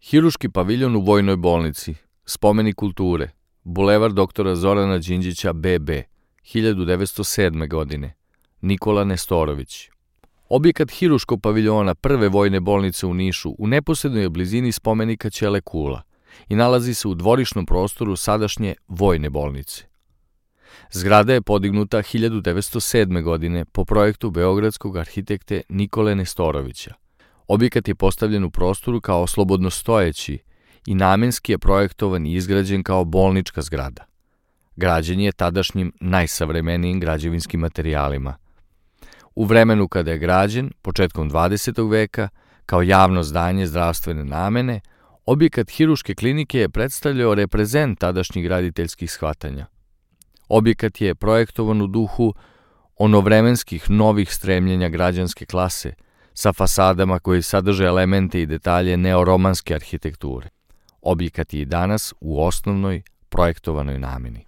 Hiruški paviljon u Vojnoj bolnici, spomenik kulture, Bulevar doktora Zorana Đinđića BB, 1907. godine, Nikola Nestorović. Objekat Hiruškog paviljona prve vojne bolnice u Nišu u neposrednoj je blizini spomenika Ćele Kula i nalazi se u dvorišnom prostoru sadašnje vojne bolnice. Zgrada je podignuta 1907. godine po projektu beogradskog arhitekte Nikole Nestorovića. Objekat je postavljen u prostoru kao slobodno stojeći i namenski je projektovan i izgrađen kao bolnička zgrada. Građen je tadašnjim najsavremenijim građevinskim materijalima. U vremenu kada je građen, početkom 20. veka, kao javno zdanje zdravstvene namene, objekat Hiruške klinike je predstavljao reprezent tadašnjih graditeljskih shvatanja. Objekat je projektovan u duhu onovremenskih novih stremljenja građanske klase, sa fasadama koji sadrže elemente i detalje neoromanske arhitekture. Objekat je i danas u osnovnoj projektovanoj nameni.